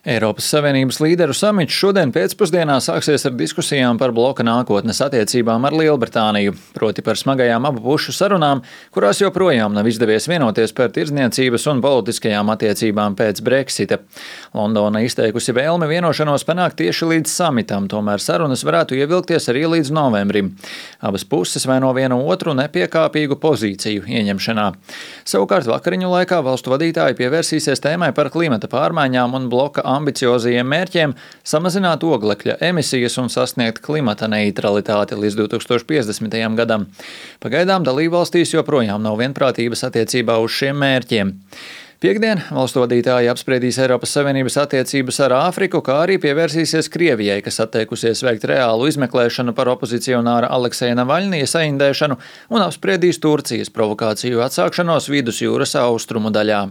Eiropas Savienības līderu samits šodien pēcpusdienā sāksies ar diskusijām par bloka nākotnes attiecībām ar Lielbritāniju, proti par smagajām abu pušu sarunām, kurās joprojām nav izdevies vienoties par tirdzniecības un politiskajām attiecībām pēc Brexita. Londona izteikusi vēlmi vienošanos panākt tieši līdz samitam, tomēr sarunas varētu ievilkties arī līdz novembrim. Abas puses vaino vienu otru nepiekāpīgu pozīciju ieņemšanā. Savukārt vakariņu laikā valstu vadītāji pievērsīsies tēmai par klimata pārmaiņām un bloka ambiciozajiem mērķiem samazināt oglekļa emisijas un sasniegt klimata neitralitāti līdz 2050. gadam. Pagaidām dalībvalstīs joprojām nav vienprātības attiecībā uz šiem mērķiem. Piektdien valstu vadītāji apspriedīs Eiropas Savienības attiecības ar Āfriku, kā arī pievērsīsies Krievijai, kas atteikusies veikt reālu izmeklēšanu par opozicionāra Alekseja Navaļņija saindēšanu un apspriedīs Turcijas provokāciju atsākšanos Vidusjūras austrumu daļā.